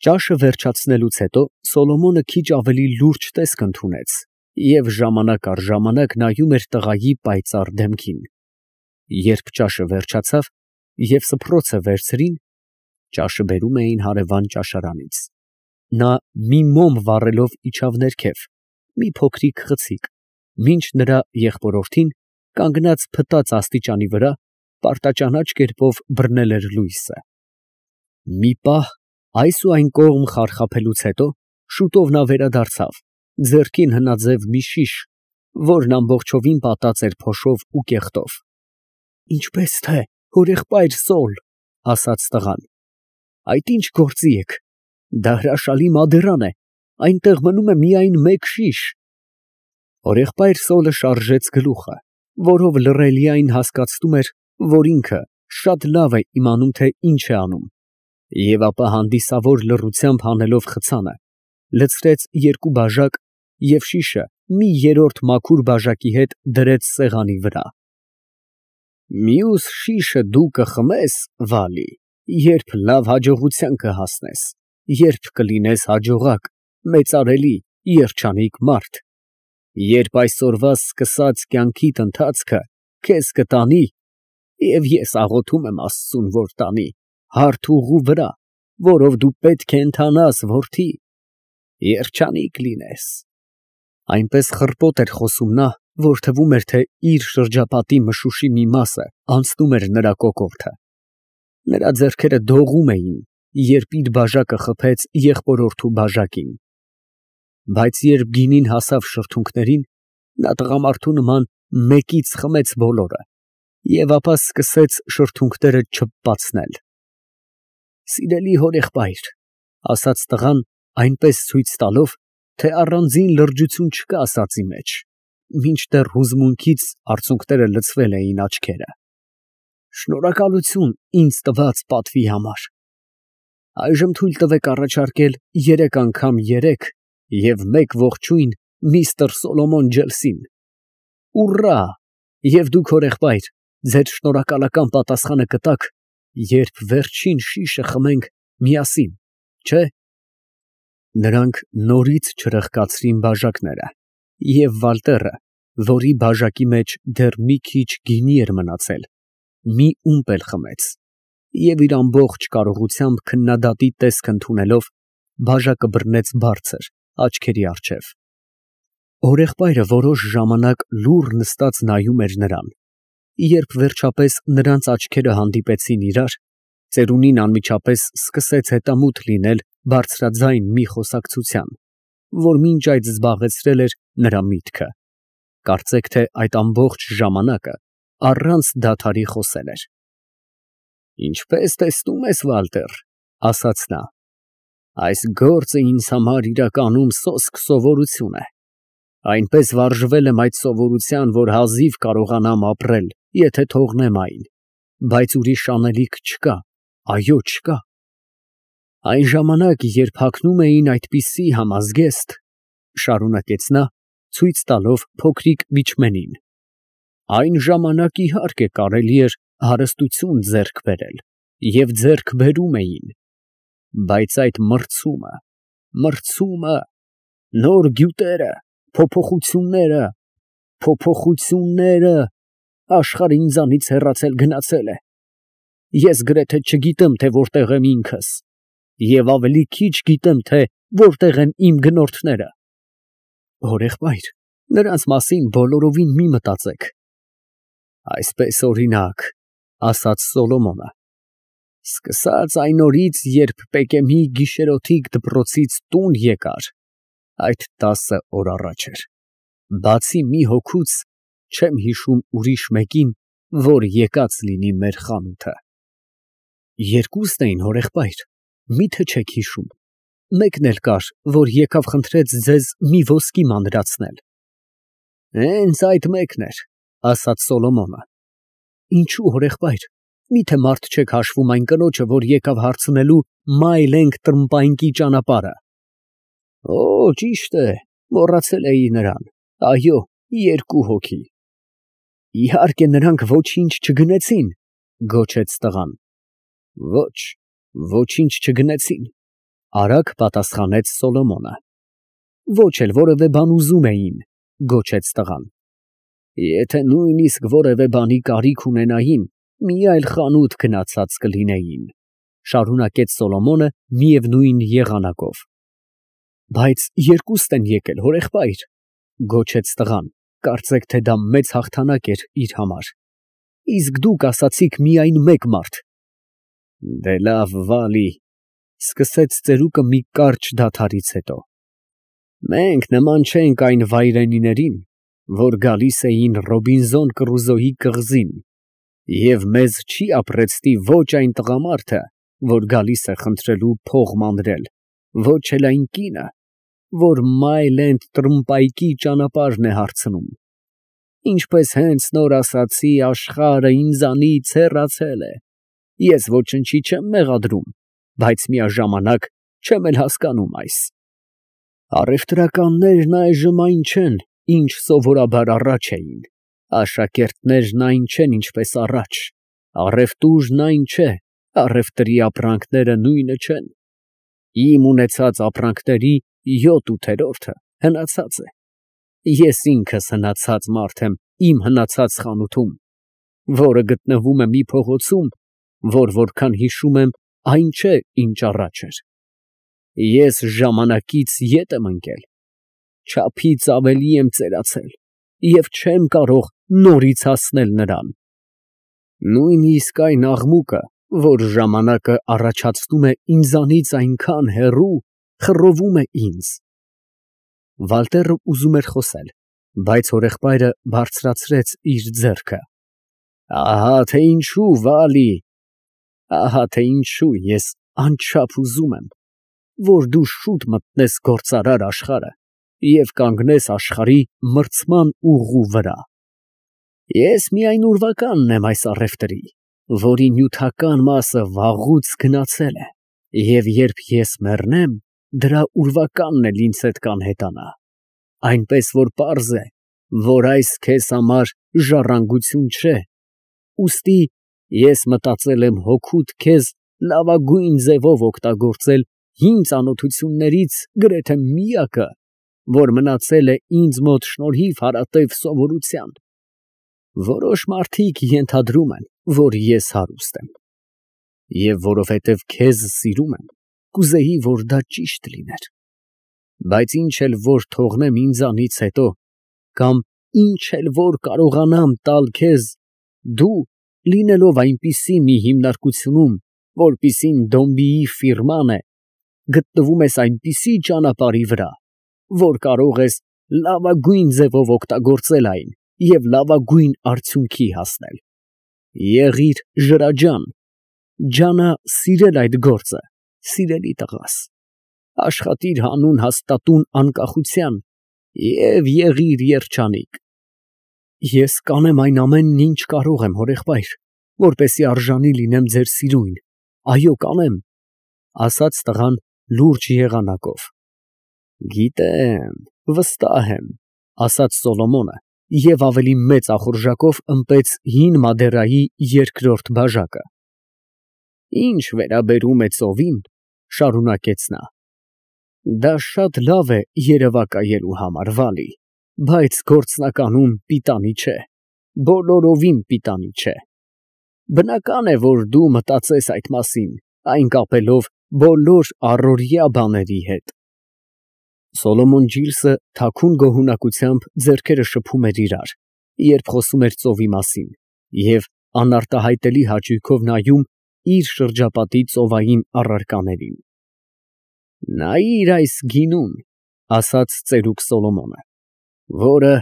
Ճաշը վերջացնելուց հետո Սոլոմոնը քիչ ավելի լուրջ տեսք ընդունեց և ժամանակ առ ժամանակ նայում էր տղայի պայծառ դեմքին։ Երբ ճաշը վերջացավ և սփռոցը վերցրին, ճաշը բերում էին հարևան ճաշարանից, նա մի մոմ վառելով իջավ ներքև, մի փոքրիկ խցիկ, մինչ նրա եղբորորդին, կանգնած փտած աստիճանի վրա, պարտաճանաչ կերպով բռնել էր լույսը։ Մի պահ այս ու այն կողմ խարխափելուց հետո շուտով նա վերադարձավ, ձեռքին հնաձև մի շիշ, որն ամբողջովին պատած էր փոշով ու կեղտով։ ֊ Ինչպե՞ս թե, հորեղբայր Սոլ, ֊ ասաց տղան, ֊ այդ ի՞նչ գործի եք. դա հրաշալի մադեռան է, այնտեղ մնում է միայն մեկ շիշ։ Հորեղբայր Սոլը շարժեց գլուխը, որով լռելիայն հասկացնում էր, որ ինքը շատ լավ է իմանում, թե ինչ է անում, և ապա հանդիսավոր լռությամբ հանելով խցանը, լցրեց երկու բաժակ և շիշը մի երրորդ մաքուր բաժակի հետ դրեց սեղանի վրա։ Մյուս շիշը դու կխմես, Վալի, երբ լավ հաջողության կհասնես, երբ կլինես հաջողակ, մեծարելի, երջանիկ մարդ, երբ այսօրվա սկսած կյանքիդ ընթացքը քեզ կտանի, և ես աղոթում եմ Աստծուն, որ տանի, հարթ ուղու վրա, որով դու պետք է ընթանաս, որդի, երջանիկ լինես։ Այնպես խռպոտ էր խոսում նա, որ թվում էր, թե իր շրջապատի մշուշի մի մասը անցնում էր նրա կոկորդը։ Նրա ձեռքերը դողում էին, երբ իր բաժակը խփեց եղբորորդու բաժակին։ Բայց երբ գինին հասավ շրթունքներին, նա տղամարդու նման մեկից խմեց բոլորը և ապա սկսեց շրթունքները չփպացնել։ Սիրելի հորեղբայր, ֊ ասաց տղան, այնպես ցույց տալով, թե առանձին լրջություն չկա ասածի մեջ, մինչդեռ հուզմունքից արցունքները լցվել էին աչքերը, ֊ շնորհակալություն ինձ տված պատվի համար։ Այժմ թույլ տվեք առաջարկել 3 անգամ 3 և 1 ողջույն միստր Սոլոմոն Ջելսին։ Ուռա! Եվ դուք, հորեղբայր, ձեր շնորհակալական պատասխանը կտաք, երբ վերջին շիշը խմենք միասին, չէ՞։ Նրանք նորից չրխկացրին բաժակները, և Վալտերը, որի բաժակի մեջ դեռ մի քիչ գինի էր մնացել, մի ումպ էլ խմեց, և իր ամբողջ կարողությամբ քննադատի տեսք ընդունելով, բաժակը բռնեց բարձր, աչքերի առջև։ Հորեղբայրը որոշ ժամանակ լուռ նստած նայում էր նրան, երբ վերջապես նրանց աչքերը հանդիպեցին իրար, ծերունին անմիջապես սկսեց հետամուտ լինել բարձրաձայն մի խոսակցության, որ մինչ այդ զբաղեցրել էր նրա միտքը, կարծեք թե այդ ամբողջ ժամանակը առանց դադարի խոսել էր։ Ինչպես տեսնում ես, Վալտեր, ֊ ասաց նա, ֊ այս գործը ինձ համար իրականում սոսկ սովորություն է։ Այնպես վարժվել եմ այդ սովորության, որ հազիվ կարողանամ ապրել, եթե թողնեմ այն, բայց ուրիշ անելիք չկա, այո, չկա։ Այն ժամանակ, երբ հագնում էին այդպիսի համազգեստ, ֊ շարունակեց նա, ցույց տալով փոքրիկ միջմենին, ֊ այն ժամանակ, իհարկե, կարելի էր հարստություն ձեռք բերել և ձեռք բերում էին, բայց այդ մրցումը, նոր գյուտերը, փոփոխությունները, աշխարհը ինձանից հեռացել գնացել է։ Ես գրեթե չգիտեմ, թե որտեղ եմ ինքս, և ավելի քիչ գիտեմ, թե որտեղ են իմ գնորդները։ Հորեղբայր, նրանց մասին բոլորովին մի մտածեք։ Այսպես, օրինակ, ֊ ասաց Սոլոմոնը, ֊ սկսած այն օրից, երբ Պեկեմի գիշերօթիկ դպրոցից տուն եկար, այդ 10 օր առաջ էր, բացի մի հոգուց, չեմ հիշում ուրիշ մեկին, որ եկած լինի մեր խանութը։ Երկուստ էին, հորեղբայր, մի՞թե չեք հիշում։ Մեկն էլ կար, որ եկավ խնդրեց ձեզ մի ոսկի մանրացնել։ Հենց այդ մեկն էր, ֊ ասաց Սոլոմոնը։ Ինչո՞ւ, հորեղբայր, միթե մարդ չեք հաշվում այն կնոջը, որ եկավ հարցնելու Մայլենք Տրմպայնկի ճանապարհը։ Օ, ճիշտ է, մոռացել էի նրան, այո, 2 հոգի։ Իհարկե, նրանք ոչինչ չգնեցին, ֊ գոչեց տղան։ Ոչ, ոչինչ չգնեցին, Արագ պատասխանեց Սոլոմոնը։ Ոչ էլ որևէ բան ուզում էին, գոչեց տղան։ Եթե նույնիսկ որևէ բանի կարիք ունենային, մի այլ խանութ գնացած կլինեին, շարունակեց Սոլոմոնը միևնույն եղանակով։ Բայց երկուստ են եկել, հորեղբայր, գոչեց տղան, կարծեք թե դա մեծ հաղթանակ էր իր համար։ Իսկ դուք ասացիք միայն մեկ մարդ։ Դե լավ, Վալի, սկսեց ծերուկը մի կարճ դադարից հետո։ Մենք նման չենք այն վայրենիներին, որ գալիս էին Ռոբինզոն Կրուզոյի կղզին, և մեզ չի ապրեցնի ոչ այն տղամարդը, որ գալիս է խնդրելու փող մանրել, ոչ էլ այն կինը, որ Մայլ էնդ Տրմպայկի ճանապարհն է հարցնում։ Ինչպես հենց նոր ասացի, աշխարհը ինձանից հեռացել է, ես ոչնչի չեմ մեղադրում, բայց միաժամանակ չեմ էլ հասկանում այս։ Առևտրականներն այժմ այն չեն, ինչ սովորաբար առաջ էին, աշակերտներն այն չեն, ինչպես առաջ, առևտուրն այն չէ, առևտրի ապրանքները նույնը չեն։ Իմ ունեցած ապրանքների 7/8-ը հնացած է։ Ես ինքս հնացած մարդ եմ իմ հնացած խանութում, որը գտնվում է մի փողոցում, որ որքան հիշում եմ, այն չէ, ինչ առաջ էր։ Ես ժամանակից ետ եմ ընկել, չափից ավելի եմ ծերացել և չեմ կարող նորից հասնել նրան։ Նույնիսկ այն աղմուկը, որ ժամանակը առաջացնում է ինձանից այնքան հեռու, խռովում է ինձ։ Վալտերը ուզում էր խոսել, բայց հորեղբայրը բարձրացրեց իր ձեռքը։ Ահա թե ինչու, Վալի, ահա թե ինչու ես անչափ ուզում եմ, որ դու շուտ մտնես գործարար աշխարհը և կանգնես աշխարհի մրցման ուղու վրա։ Ես միայն ուրվականն եմ այս առևտրի, որի նյութական մասը վաղուց գնացել է, և երբ ես մեռնեմ, դրա ուրվականն էլ ինձ հետ կանհետանա, այնպես որ պարզ է, որ այս քեզ համար ժառանգություն չէ, ուստի ես մտածել եմ հոգուդ քեզ լավագույն ձևով օգտագործել հին ծանոթություններից գրեթե միակը, որ մնացել է ինձ մոտ շնորհիվ հարատև սովորության։ Որոշ մարդիկ ենթադրում են, որ ես հարուստ եմ, և որովհետև քեզ սիրում եմ, կուզեի, որ դա ճիշտ լիներ, բայց ինչ էլ որ թողնեմ ինձանից հետո, կամ ինչ էլ որ կարողանամ տալ քեզ, դու, լինելով այնպիսի մի հիմնարկությունում, որպիսին Դոմբիի ֆիրման է, գտնվում ես այնպիսի ճանապարհի վրա, որ կարող ես լավագույն ձևով օգտագործել այն և լավագույն արդյունքի հասնել։ Եղիր ջրաջան, ջանա սիրել այդ գործը, սիրելի տղաս, աշխատիր հանուն հաստատուն անկախության և եղիր երջանիկ։ Ես կանեմ այն ամենն, ինչ կարող եմ, հորեղբայր, որպեսզի արժանի լինեմ ձեր սիրուն, այո, կանեմ, ասաց տղան լուրջ եղանակով։ Գիտեմ, վստահ եմ, ասաց Սոլոմոնը և ավելի մեծ ախորժակով ըմպեց հին Մադերայի երկրորդ բաժակը։ Ինչ վերաբերում է ծովին, շարունակեց նա, դա շատ լավ է երևակայելու համար, Վալի, բայց գործնականում պիտանի չէ, բոլորովին պիտանի չէ։ Բնական է, որ դու մտածես այդ մասին, այն կապելով բոլոր առօրյա բաների հետ։ Սոլոմոն Ջիլսը թաքուն գոհունակությամբ ձեռքերը շփում էր իրար, երբ խոսում էր ծովի մասին, և անարտահայտելի հաճույքով նայում իր շրջապատի ծովային առարկաներին։ Նայիր այս գինուն, ասաց ծերուկ Սոլոմոնը, որը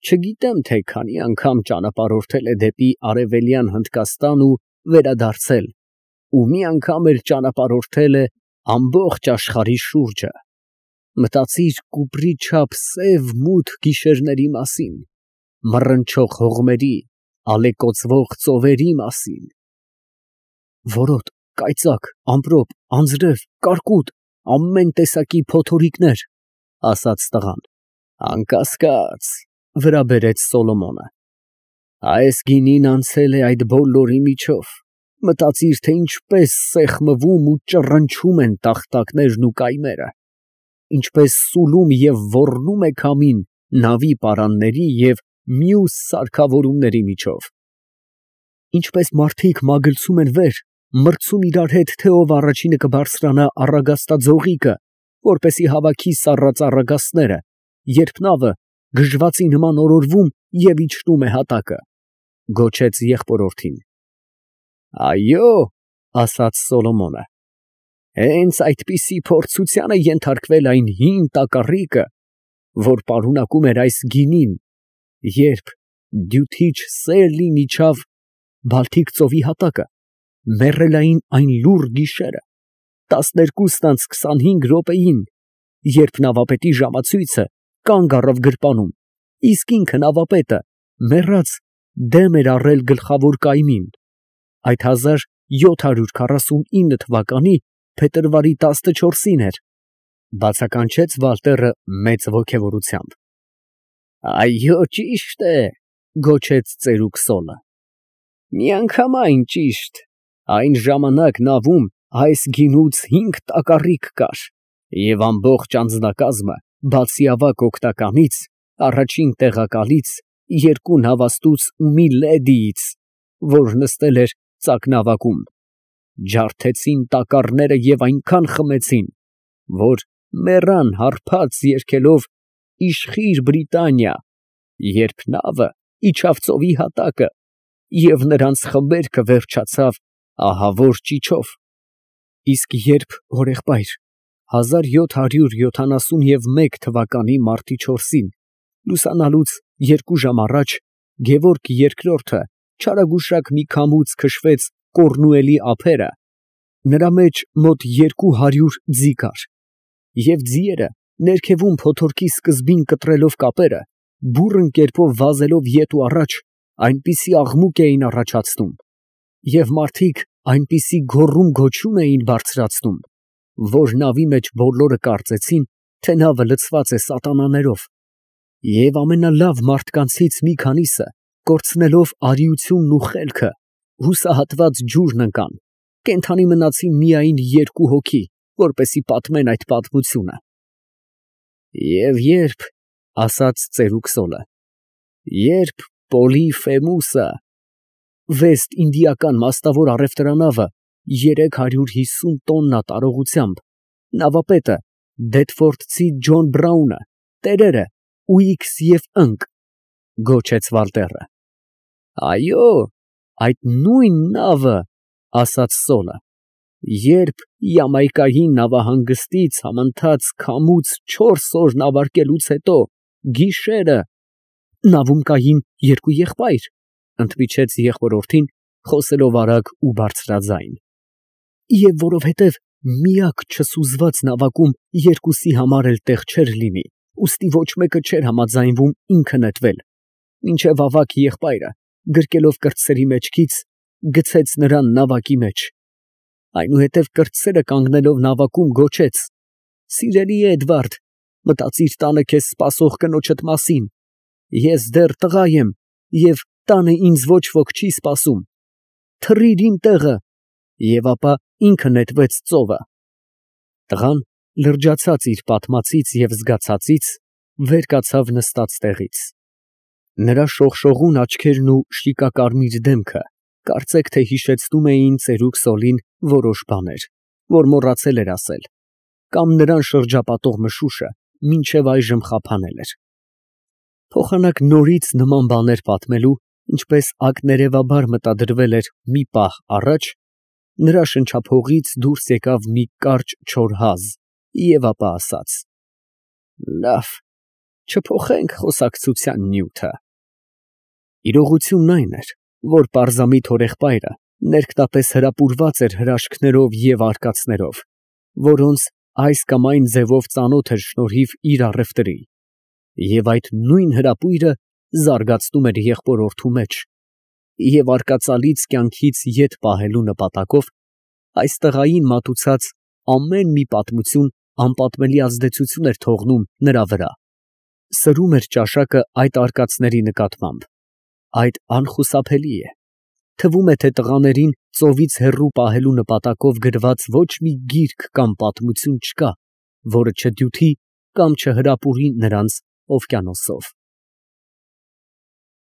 չգիտեմ թե քանի անգամ ճանապարհորդել է դեպի Արևելյան Հնդկաստան ու վերադարձել, ու մի անգամ էլ ճանապարհորդել է ամբողջ աշխարհի շուրջը։ Մտածիր կուպրի չափ սև մութ գիշերների մասին, մռնչող հողմերի, ալեկոծվող ծովերի մասին։ Որոտ, կայծակ, ամպրոպ, անձրև, կարկուտ, ամեն տեսակի փոթորիկներ, ասաց տղան։ Անկասկած, վրա բերեց Սոլոմոնը։ Այս գինին անցել է այդ բոլորի միջով, Մտածիր, թե ինչպես սեղմվում ու ճռնչում են տախտակներն ու կայմերը, ինչպես սուլում և ոռնում է քամին նավի պարանների և մյուս սարքավորումների միջով, ինչպես մարդիկ մագլցում են վեր, մրցում իրար հետ, թե ով առաջինը կբարձրանա առագաստաձողիկը, որպեսզի հավաքի սառած առագաստները, երբ նավը գժվածի նման օրորվում և իջնում է հատակը, գոչեց եղբորորդին։ Այո, ասաց Սոլոմոնը, հենց այդպիսի փորձության է ենթարկվել այն հին տակառիկը, որ պարունակում էր այս գինին, երբ դյութիչ սելն իջավ Բալթիկ ծովի հատակը, մեռելային այն լուռ գիշերը, 12:25 րոպեին, երբ նավապետի ժամացույցը կանգ առավ գրպանում, իսկ ինքը նավապետը մեռած դեմ էր առել գլխավոր կայմին, այդ 1749 թվականի փետրվարի 14-ին էր, բացականչեց Վալտերը մեծ ոգևորությամբ։ Այո, ճիշտ է, գոչեց ծերուկ Սոլը, միանգամայն ճիշտ, այն ժամանակ նավում այս գինուց 5 տակառիկ կար, և ամբողջ անձնակազմը, բացի ավագ օգնականից, առաջին տեղակալից, 2 նավաստուց ու մի լեդիից, որ նստել էր ծակնավակում, ջարդեցին տակառները և այնքան խմեցին, որ մեռան հարբած երգելով «Իշխիր Բրիտանիա», երբ նավը իջավ ծովի հատակը և նրանց խմբերքը վերջացավ ահավոր ճիչով։ Իսկ երբ հորեղբայր 1771 թվականի մարտի 4-ին լուսանալուց 2 ժամ առաջ Գևորգ II չարագուշակ մի քամուց քշվեց Կոռնուելի ափերը, նրա մեջ մոտ 200 ձի կար, և ձիերը ներքևում փոթորկի սկզբին կտրելով կապերը, բուռն կերպով վազելով ետ ու առաջ, այնպիսի աղմուկ էին առաջացնում, և մարդիկ այնպիսի գոռում֊գոչում էին բարձրացնում, որ նավի մեջ բոլորը կարծեցին, թե նավը լցված է սատանաներով, և ամենալավ մարդկանցից մի քանիսը, կորցնելով արիությունն ու խելքը, հուսահատված ջուրն ընկան, կենդանի մնացին միայն 2 հոգի, որպեսզի պատմեն այդ պատմությունը։ Եվ երբ, ասաց ծերուկ Սոլը, երբ Պոլիֆեմուսը, վեստինդիական մաստավոր առևտրանավը 350 տոննա տարողությամբ, նավապետը դեթֆորդցի Ջոն Բրաունը, տերերը Ուիքս և Ընկ, գոչեց Վալտերը։ Այո, այդ նույն նավը, ասաց Սոլը, երբ Յամայկայի նավահանգստից համընթաց քամուց 4 օր նավարկելուց հետո, գիշերը, նավում կային 2 եղբայր, ընդմիջեց եղբորորդին, խոսելով արագ ու բարձրաձայն, և որովհետև միակ չսուզված նավակում 2-ի համար էլ տեղ չէր լինի, ուստի ոչ մեկը չէր համաձայնվում ինքը նետվել, մինչև ավագ եղբայրը, գրկելով կրտսերի մեջքից, գցեց նրան նավակի մեջ, այնուհետև կրտսերը կանգնելով նավակում գոչեց. «Սիրելի Էդվարդ, մտածիր տանը քեզ սպասող կնոջդ մասին, ես դեռ տղա եմ, և տանը ինձ ոչ ոք չի սպասում, թռիր իմ տեղը», և ապա ինքը նետվեց ծովը։ Տղան, լրջացած իր պատմածից և զգացածից, վեր կացավ նստած տեղից։ Նրա շողշողուն աչքերն ու շիկակարմիր դեմքը կարծեք թե հիշեցնում էին ծերուկ Սոլին որոշ բաներ, որ մոռացել էր ասել, կամ նրան շրջապատող մշուշը մինչև այժմ խափանել էր։ Փոխանակ նորից նման բաներ պատմելու, ինչպես ակներևաբար մտադրվել էր մի պահ առաջ, նրա շնչափողից դուրս եկավ մի կարճ չոր հազ և ապա ասաց. «Լավ, չփոխենք խոսակցության նյութը»։ Իրողությունն այն էր, որ պարզամիտ հորեղբայրը ներքնապես հրապուրված էր հրաշքներով և արկածներով, որոնց այս կամ այն ձևով ծանոթ էր շնորհիվ իր առևտրի, և այդ նույն հրապույրը զարգացնում էր եղբորորդու մեջ, և արկածալից կյանքից ետ պահելու նպատակով այս տղային մատուցած ամեն մի պատմություն անպատմելի ազդեցություն էր թողնում նրա վրա, սրում էր ճաշակը այդ արկածների նկատմամբ, այդ անխուսափելի է, Թվում է, թե տղաներին ծովից հեռու պահելու նպատակով գրված ոչ մի գիրք կամ պատմություն չկա, որը չդյութի կամ չհրապուրի նրանց օվկիանոսով։